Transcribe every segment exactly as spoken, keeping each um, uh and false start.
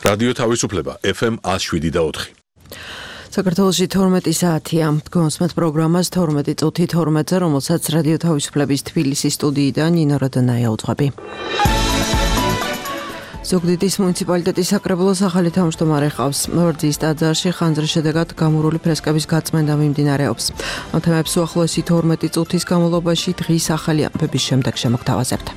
რადიო თავისუფლება ეფ ემ one oh seven და four. საქართველოში თორმეტი საათია. გონსმეთ პროგრამას თორმეტი წუთი თორმეტზე, რომელსაც რადიო თავისუფლების თბილისის სტუდიიდან ნინო როდონაია უძღვები. ზუგდიდის მუნიციპალიტეტის საკრებულოს ახალი თავმჯდომარე ყავს. ვერძის ტაძარში ხანძრის შედეგად გამურული ფრესკების გაწმენდა მიმდინარეობს. ამ თემებს უახლოესი თორმეტი წუთის განმავლობაში დღის ახალი ამბების შემდეგ შემოგთავაზებთ.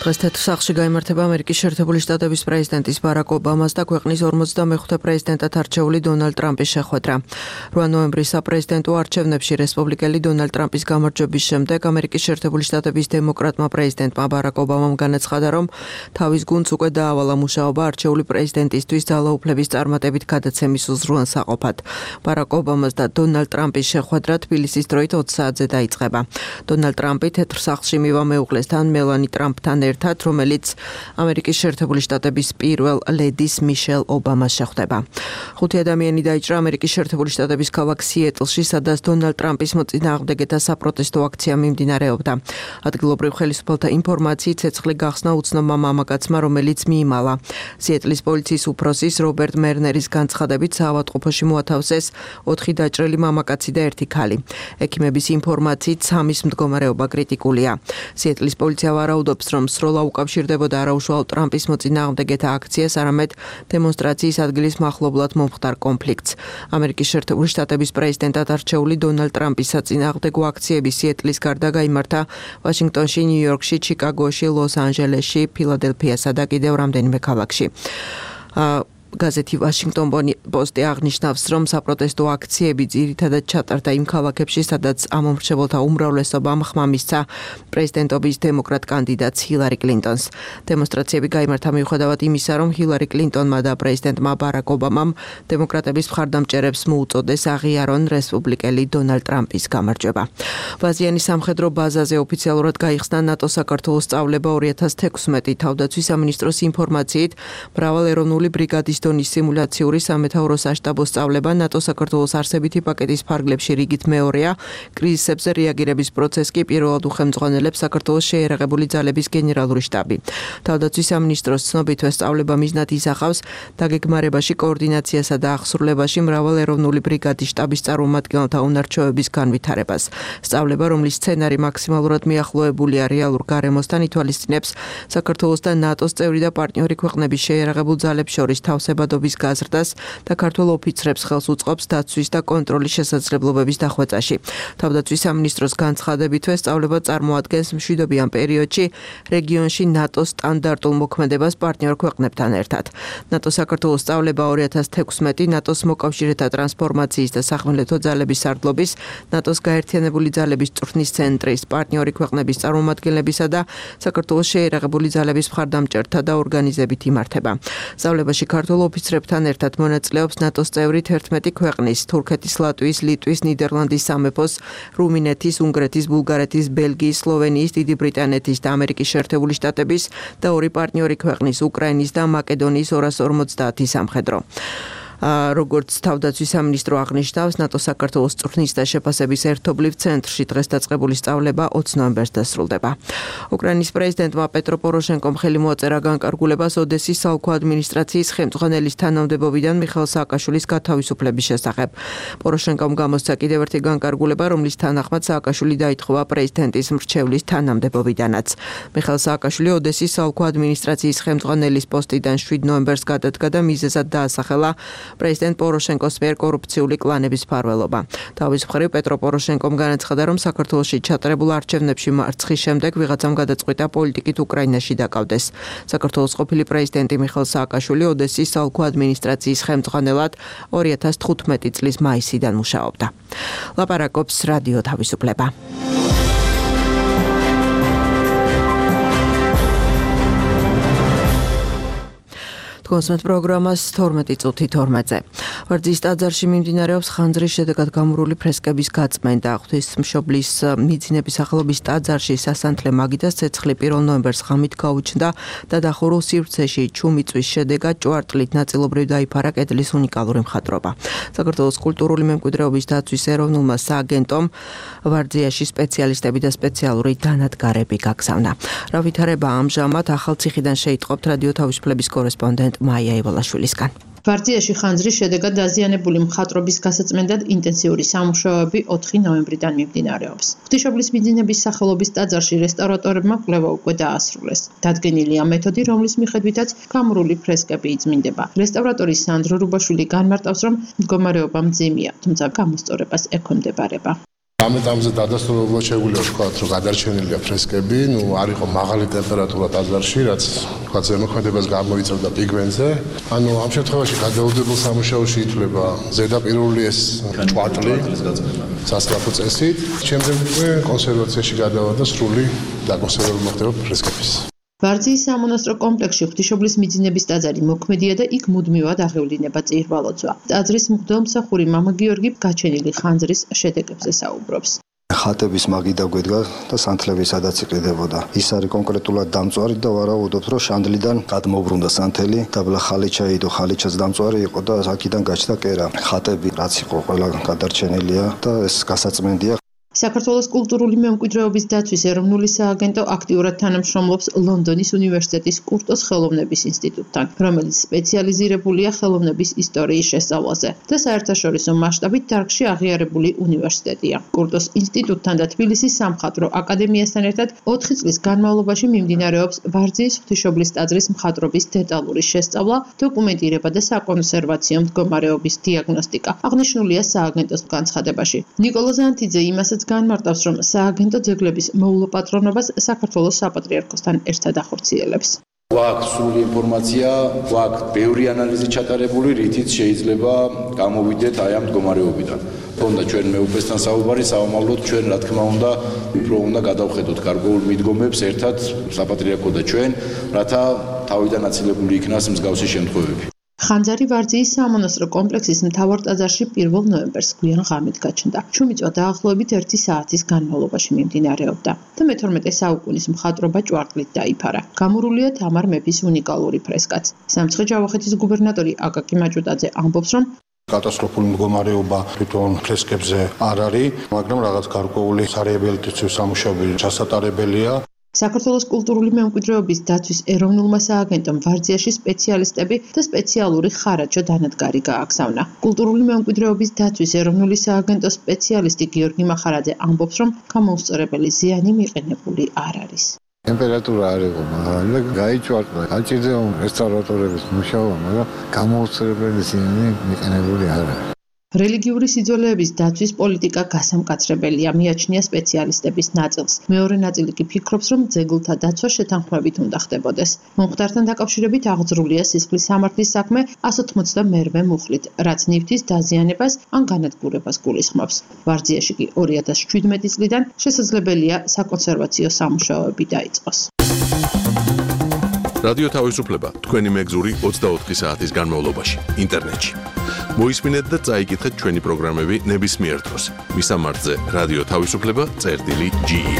დღეს თეთრ სახლში გაიმართება ამერიკის შეერთებული შტატების პრეზიდენტის ბარაკ ობამას და ქვეყნის ორმოცდამეხუთე პრეზიდენტად არჩეული დონალდ ტრამპის შეხვედრა. რვა ნოემბრის საპრეზიდენტო არჩევნებში რესპუბლიკელი დონალდ ტრამპის გამარჯვების შემდეგ ამერიკის შეერთებული შტატების დემოკრატმა პრეზიდენტმა ბარაკ ობამამ განაცხადა, რომ თავის გუნდს უკვე დაავალა მუშაობა არჩეული პრეზიდენტისთვის ძალაუფლების წარმატებით გადაცემის უზრუნველსაყოფად. ბარაკ ობამას და დონალდ ტრამპის შეხვედრა თბილისის დროით ოცი საათზე დაიწყება. დონალდ ტრამპი თეთრ სახლში მივა მეუღლესთან მელანი ტრამპთან რომელიც ამერიკის შეერთებული შტატების პირველ ლედის მიშელ ობამას შეხვდება. ხუთი ადამიანი დაიჭრა ამერიკის შეერთებული შტატების ქალაქ სიეტლში, სადაც დონალდ ტრამპის მოწინააღმდეგეთა საპროტესტო აქცია მიმდინარეობდა. ადგილობრივ ხელისუფალთა ინფორმაციით ცეცხლი გახსნა უცნობმა მამაკაცმა, რომელიც მიიმალა. სიეტლის პოლიციის უფროსის რობერტ მერნერის განცხადებით საავადმყოფოში მოათავსეს ოთხი დაჭრილი მამაკაცი და ერთი ქალი. ექიმების ინფორმაციით სამის მდგომარეობა კრიტიკულია. სიეტლის პოლიცია ვარაუდობს, რომ სროლა უკავშირდებოდა არაუშუალო ტრამპის მოწინააღმდეგეთა აქციას, არამედ დემონსტრაციის ადგილის მახლობლად მომხდარ კონფლიქტს. ამერიკის შეერთებული შტატების პრეზიდენტად არჩეული დონალდ ტრამპის საწინააღმდეგო აქციები სიეტლის გარდა გაიმართა ვაშინგტონში, ნიუ-იორკში, ჩიკაგოში, ლოს-ანჯელესში, ფილადელფიასა და კიდევ რამდენიმე ქალაქში. გაზეთი ვაშინგტონ პოსტი აღნიშნავს, რომ საპროტესტო აქციები ძირითადად ჩატარდა იმ ქალაქებში, სადაც ამომრჩეველთა უმრავლესობამ ხმა მისცა პრეზიდენტობის დემოკრატ კანდიდატს ჰილარი კლინტონს. დემონსტრაციები გაიმართა მიუხედავად იმისა, რომ ჰილარი კლინტონმა და პრეზიდენტმა ბარაკ ობამამ დემოკრატების მხარდამჭერებს მოუწოდეს აღიარონ რესპუბლიკელი დონალდ ტრამპის გამარჯვება. ბაზიანი სამხედრო ბაზაზე ოფიციალურად გაიხსნა ნატო საქართველოს სწავლება ორი ათას თექვსმეტი. თავდაცვის სამინისტროს ინფორმაციით, მრავალ ეროვნული ბრიგადის დონის სიმულაციური სამეთაურო საშტაბო სწავლება ნატო საქართველოს არსებითი პაკეტის ფარგლებში რიგით მეორეა. კრიზისებზე რეაგირების პროცესს კი პირველად უხელმძღვანელებს საქართველოს შეიარაღებული ძალების გენერალური შტაბი. თავდაცვის სამინისტროს ცნობით, სწავლება მიზნად ისახავს დაგეგმარებაში, კოორდინაციასა და აღსრულებაში მრავალ ეროვნული ბრიგადის შტაბის წარმომადგენელთა უნარჩვევების განვითარებას. სწავლება, რომლის სცენარი მაქსიმალურად მიახლოებულია რეალურ გარემოსთან, ითვალისწინებს საქართველოს და ნატოს წევრი და პარტნიორი ქვეყნების შეიარაღებულ ძალებს შორის თავსებადობის გაზრდას და ქართველ ოფიცრებს ხელს უწყობს დაცვის და კონტროლის შესაძლებლობების დახვეწაში. თავდაცვის სამინისტროს განცხადებითვე, სწავლება წარმოადგენს მშვიდობიან პერიოდში რეგიონში ნატოს სტანდარტულ მოქმედებას პარტნიორ ქვეყნებთან ერთად. ნატო საქართველოს სწავლება ორი ათას თექვსმეტი ნატოს მოკავშირეთა ტრანსფორმაციის და სახმელეთო ძალების სარდლობის, ნატოს გაერთიანებული ძალების წვრთნის ცენტრის, პარტნიორი ქვეყნების წარმომადგენლებისა და საქართველოს შეიარაღებული ძალების მხარდამჭერთა და ორგანიზებით იმართება. სწავლებაში ქართულ ოფიცრებთან ერთად მონაწილეობს ნატოს წევრი თერთმეტი ქვეყნის, თურქეთის, ლატვიის, ლიტვის, ნიდერლანდის სამეფოს, რუმინეთის, უნგრეთის, ბულგარეთის, ბელგიის, სლოვენიის, დიდი ბრიტანეთის და ამერიკის შეერთებული შტატების და ორი პარტნიორი ქვეყნის, უკრაინის და მაკედონიის ორას ორმოცდაათი სამხედრო. როგორც თავდაცვის სამინისტრო აღნიშნავს, ნატო საქართველოს წვრთნის და შეფასების ერთობლივ ცენტრში დღეს დაწყებული სწავლება ოცი ნოემბერს დასრულდება. უკრაინის პრეზიდენტმა პეტრო პოროშენკომ ხელი მოაწერა განკარგულებას ოდესის საოლქო ადმინისტრაციის ხელმძღვანელის თანამდებობიდან მიხაილ სააკაშვილის გათავისუფლების შესახებ. პოროშენკომ გამოსცა კიდევ ერთი განკარგულება, რომლის თანახმად სააკაშვილი დაითხოვა პრეზიდენტის მრჩევლის თანამდებობიდანაც. მიხაილ სააკაშვილი ოდესის საოლქო ადმინისტრაციის ხელმძღვანელის პოსტიდან შვიდ ნოემბერს გადადგა და მიზეზად დაასახელა პრეზიდენტ პოროშენკოს მიერ კორუფციული კლანების მფარველობა. თავის მხრივ პეტრო პოროშენკომ განაცხადა, რომ საქართველოში ჩატარებულ არჩევნებში მარცხის შემდეგ ვიღაცამ გადაწყვიტა პოლიტიკით უკრაინაში დაკავდეს. საქართველოს ყოფილი პრეზიდენტი მიხაილ სააკაშვილი ოდესის საოლქო ადმინისტრაციის ხელმძღვანელად ორი ათას თხუთმეტი წლის მაისიდან მუშაობდა. ლაპარაკობს რადიო თავისუფლება. Თქვენს პროგრამას თორმეტი წუთი თორმეტზე. ვარძიის ტაძარში მიმდინარეობს ხანძრის შედეგად გამურული ფრესკების გაწმენდა. ღვთისმშობლის მიძინების სახელობის ტაძარში სასანთლე მაგიდას ცეცხლი პირველ ნოემბერს ღამით გაუჩნდა და დახურულ სივრცეში ჩუმიწვის შედეგად ჭვარტლით ნაწილობრივ დაიფარა კედლის უნიკალური მხატვრობა. საქართველოს კულტურული მემკვიდრეობის დაცვის ეროვნულმა სააგენტომ ვარძიაში სპეციალისტები და სპეციალური დანადგარები გაგზავნა. რა ვითარება ამჟამად ახალციხიდან შეიტყობთ რადიო თავისუფლების კორესპონდენტ მაია ივოლაშვილისგან. ვარძიაში ხანძრის შედეგად დაზიანებული მხატვრობის გასაწმენდად ინტენსიური სამუშაოები ოთხი ნოემბრიდან მიმდინარეობს. ღვთისმშობლის მიძინების სახელობის ტაძარში რესტავრატორებმა კვლევა უკვე დაასრულეს. დადგენილია მეთოდი, რომლის მიხედვითაც გამურული ფრესკები იწმინდება. რესტავრატორი სანდრო რუბაშვილი განმარტავს, რომ მდგომარეობა მძიმეა, თუმცა გამოსწორებას ექვემდებარება. ამ ეტაპზე დადასტურებულად შეგვიძლია ვთქვათ, რომ გადარჩენილია ფრესკები, ნუ არ იყო მაღალი ტემპერატურა ტაძარში, რაც თქვათ ზემოქმედებას გამოიწვევდა პიგმენტზე. ანუ ამ შემთხვევაში გადაუდებელ სამუშაოში ითვლება ზედაპირული ეს ჭვარტლი სასწრაფო წესით. შემდეგ უკვე კონსერვაციაში გადავა და სრული დაკონსერვება მოხდება ფრესკების. ვარძიის სამონასტრო კომპლექსში ღვთისმშობლის მიძინების ტაძარი მოქმედია და იქ მუდმივად აღევლინება წირვალოძვა. ტაძრის მღვდელმსახური მამა გიორგი გაჩენილი ხანძრის შედეგებზე საუბრობს. ხატების მაგიდა გვედგა და სანთლები სადაც იყიდებოდა. ის არის კონკრეტულად დამწვარი და ვარაუდობთ, რომ შანდლიდან გადმოbrunდა სანთელი, დაბლა ხალიჩა იდო, ხალიჩაც დამწვარი იყო და აქედან გაჩნდა კერა. ხატები რაც იყო ყველა გადარჩენილია და ეს გასაწმენდია. საქართველოს კულტურული მემკვიდრეობის დაცვის ეროვნული სააგენტო აქტიურად თანამშრომლობს ლონდონის უნივერსიტეტის კურტოს ხელოვნების ინსტიტუტთან, რომელიც სპეციალიზირებულია ხელოვნების ისტორიის შესწავლაზე და საერთაშორისო მასშტაბით დარგში აღიარებული უნივერსიტეტია. კურტოს ინსტიტუტთან და თბილისის სამხატვრო აკადემიასთან ერთად ოთხი წლის განმავლობაში მიმდინარეობს ვარძიის ღვთისმშობლის ტაძრის მხატვრობის დეტალური შესწავლა, დოკუმენტირება და საკონსერვაციო მდგომარეობის დიაგნოსტიკა. აღნიშნულია სააგენტოს განცხადებაში. ნიკოლა ზანთიძე იმასაც განმარტავს, რომ სააგენტო ძეგლების მოულოპატრონობას საქართველოს საპატრიარქოსთან ერთად ახორციელებს. გვაქვს სრული ინფორმაცია, გვაქვს ბევრი ანალიზი ჩატარებული, რითიც შეიძლება გამოვიდეთ აი ამ მდგომარეობიდან. თქონდა ჩვენ მეუფესთან საუბარი, საომავლოდ ჩვენ რა თქმა უნდა უფრო უნდა გადავხედოთ გარკვეულ მიდგომებს ერთად საპატრიარქო და ჩვენ, რათა თავიდან აცილებული იქნას მსგავსი შემთხვევები. ხანძარი ვარძიის სამონასტრო კომპლექსის მთავარ ტაძარში პირველ ნოემბერს გვიან ღამით გაჩნდა. ჩუმიწვა დაახლოებით ერთი საათის განმავლობაში მიმდინარეობდა და მეთორმეტე საუკუნის მხატვრობა ჭვარტლით დაიფარა. გამურულია თამარ მეფის უნიკალური ფრესკაც. სამცხე-ჯავახეთის გუბერნატორი აკაკი მაჭუტაძე ამბობს, რომ კატასტროფული მდგომარეობა თვითონ ფრესკებზე არ არის, მაგრამ რაღაც გარკვეული სარეაბილიტაციო სამუშაოები ჩასატარებელია. საქართველოს კულტურული მემკვიდრეობის დაცვის ეროვნულმა სააგენტომ ვარძიაში სპეციალისტები და სპეციალური ხარაჯო დანადგარი გააგზავნა. კულტურული მემკვიდრეობის დაცვის ეროვნული სააგენტოს სპეციალისტი გიორგი მახარაძე ამბობს, რომ გამოუსწორებელი ზიანი მიყენებული არ არის. ტემპერატურა არ იყო მაღალი და გაიჭვარტა. გაჭირდება რესტავრატორების მუშაობა, მაგრამ გამოუსწორებელი ზიანი მიყენებული არ არის. რელიგიური სიძველეების დაცვის პოლიტიკა გასამკაცრებელია, მიაჩნია სპეციალისტების ნაწილს. მეორე ნაწილი კი ფიქრობს, რომ ძეგლთა დაცვა შეთანხმებით უნდა ხდებოდეს. მომხდართან დაკავშირებით აღძრულია სისხლის სამართლის საქმე εκατს ოცდაათმერვე მუხლით, რაც ნივთის დაზიანებას ან განადგურებას გულისხმობს. ვარძიაში კი ორი ათას შვიდმეტი წლიდან შესაძლებელია საკონსერვაციო სამუშაოები დაიწყოს. რადიო თავისუფლება თქვენი მეგზური ოცდაოთხი საათის განმავლობაში ინტერნეტში. მოისმინეთ და წაიკითხეთ ჩვენი პროგრამები ნებისმიერ დროს. მისამართზე რადიო თავისუფლება წერტილი ჯი ი.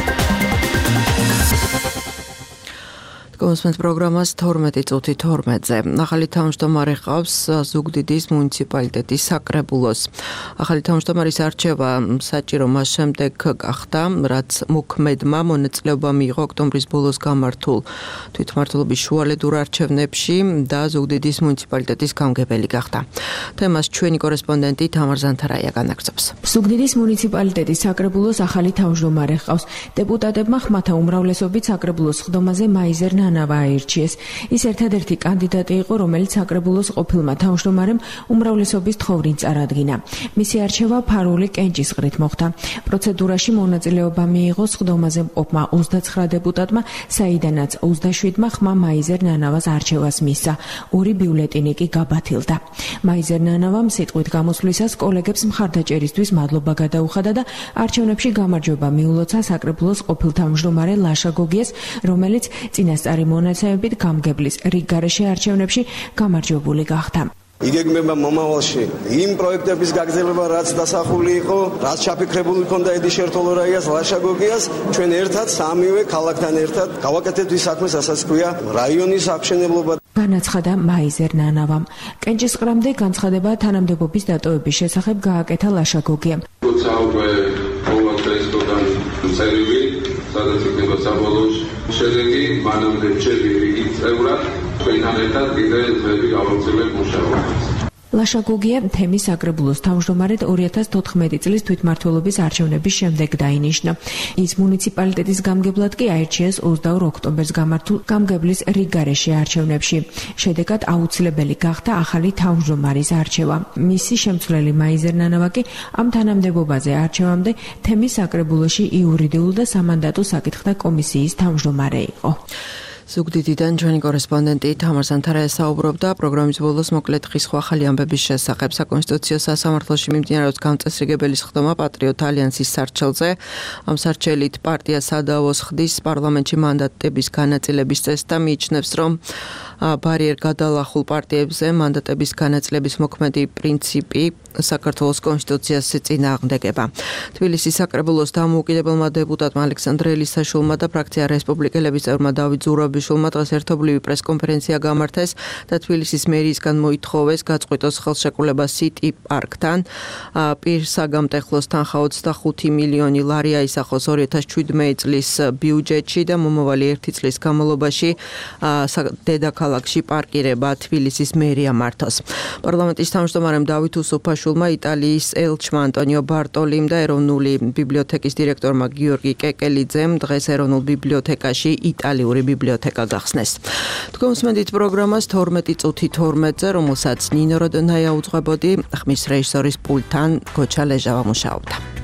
კონსპენს პროგრამას თორმეტი წუთი თორმეტზე. ახალი თავმჯდომარე ყავს ზუგდიდის მუნიციპალიტეტის საკრებულოს. ახალი თავმჯდომარის არჩევა საჭირო მას შემდეგ გახდა, რაც მოქმედმა მონაწილეობა მიიღო ოქტომბრის ბოლოს გამართულ თვითმმართველობის შუალედურ არჩევნებში და ზუგდიდის მუნიციპალიტეტის გამგებელი გახდა. თემას ჩვენი კორესპონდენტი თამარ ზანთარაია განაგრძობს. ზუგდიდის მუნიციპალიტეტის საკრებულოს ახალი თავმჯდომარე ყავს. დეპუტატებმა ხმათა უმრავლესობით საკრებულოს ხდომაზე მაიზერ ნანა აირჩიეს. ის ერთადერთი კანდიდატი იყო, რომელიც საკრებულოს ყოფილმა თავმჯდომარემ უმრავლესობის თხოვრინ წარადგინა. მისი არჩევა ფარული კენჭისყრით მოხდა. პროცედურაში მონაწილეობა მიიღო სხდომაზე მყოფმა ოცდაცხრა დეპუტატმა, საიდანაც ოცდაშვიდმა ხმა მაიზერ ნანავას არჩევას მისცა. ორი ბიულეტინი კი გაბათილდა. მაიზერ ნანავამ სიტყვით გამოსვლისას კოლეგებს მხარდაჭერისთვის მადლობა გადაუხადა და არჩევნებში გამარჯვება მიულოცა საკრებულოს ყოფილ თავმჯდომარე ლაშა გოგიას, რომელიც წინასწარ საკუთარი მონაცემებით გამგებლის რიგ გარეშე არჩევნებში გამარჯვებული გახდა. იგეგმება მომავალში იმ პროექტების გაგრძელება, რაც დასახული იყო, რაც ჩაფიქრებული ჰქონდა ედი შერთოლორაიას, ლაშაგოგიას, ჩვენ ერთად სამივე ქალაქთან ერთად გავაკეთებთ ის საქმეს, რასაც ქვია რაიონის აღშენებლობა. განაცხადა მაიზერ ნანავამ. კენჭისყრამდე განცხადება თანამდებობის დატოვების შესახებ გააკეთა ლაშაგოგიამ. როცა უკვე მოვა პრეზიდენტთან წერილი, სადაც იქნება საბოლოო შედეგი, მანამდე რჩები რიგით წევრად, ჩვენთან ერთად კიდე დღეები გავაგრძელებთ მუშაობას. ლაშაგოგია თემის საკრებულოს თავმჯდომარედ ორი ათას თოთხმეტი წლის თვითმმართველობის არჩევნების შემდეგ დაინიშნა. ის მუნიციპალიტეტის გამგებლად კი აირჩიეს ოცდაორ ოქტომბერს გამართულ გამგებლის რიგ გარეშე არჩევნებში. შედეგად აუცილებელი გახდა ახალი თავმჯდომარის არჩევა. მისი შემცვლელი მაიზერ ნანავა კი ამ თანამდებობაზე არჩევამდე თემის საკრებულოში იურიდიულ და სამანდატო საკითხთა კომისიის თავმჯდომარე იყო. ზუგდიდიდან ჩვენი კორესპონდენტი თამარ სანთარაია საუბრობდა პროგრამის ბოლოს მოკლედ ხის ახალი ამბების შესახებ. საკონსტიტუციო სასამართლოში მიმდინარეობს გამწესრიგებელი სხდომა პატრიოტ ალიანსის სარჩელზე. ამ სარჩელით პარტია სადავოს ხდის პარლამენტში მანდატების განაწილების წესს და მიიჩნევს, რომ ბარიერ გადალახულ პარტიებზე მანდატების განაწილების მოქმედი პრინციპი საქართველოს კონსტიტუციას წინააღმდეგება. თბილისის საკრებულოს დამოუკიდებელმა დეპუტატმა ალექსანდრე ელისაშვილმა და ფრაქცია რესპუბლიკელების წევრმა დავით ზურაბიშვილმა დღეს ერთობლივი პრესკონფერენცია გამართეს და თბილისის მერიისგან მოითხოვეს გაწყვიტოს ხელშეკრულება სიტი პარკთან. პირსაგამტეხლოს თანხა ოცდახუთი მილიონი ლარი აისახოს ორი ათას შვიდმეტი წლის ბიუჯეტში და მომავალი ერთი წლის განმავლობაში დედაქალაქში პარკირება თბილისის მერია მართოს. პარლამენტის თავმჯდომარემ დავით უსუფაშვილმა, იტალიის ელჩმა ანტონიო ბარტოლიმ და ეროვნული ბიბლიოთეკის დირექტორმა გიორგი კეკელიძემ დღეს ეროვნულ ბიბლიოთეკაში იტალიური ბიბლიოთეკა გახსნეს. თქვენ უსმენთ პროგრამას თორმეტი წუთი თორმეტზე, რომელსაც ნინო როდონაია უძღვებოდი, ხმის რეჟისორის პულტთან გოჩა ლეჟავა მუშაობდა.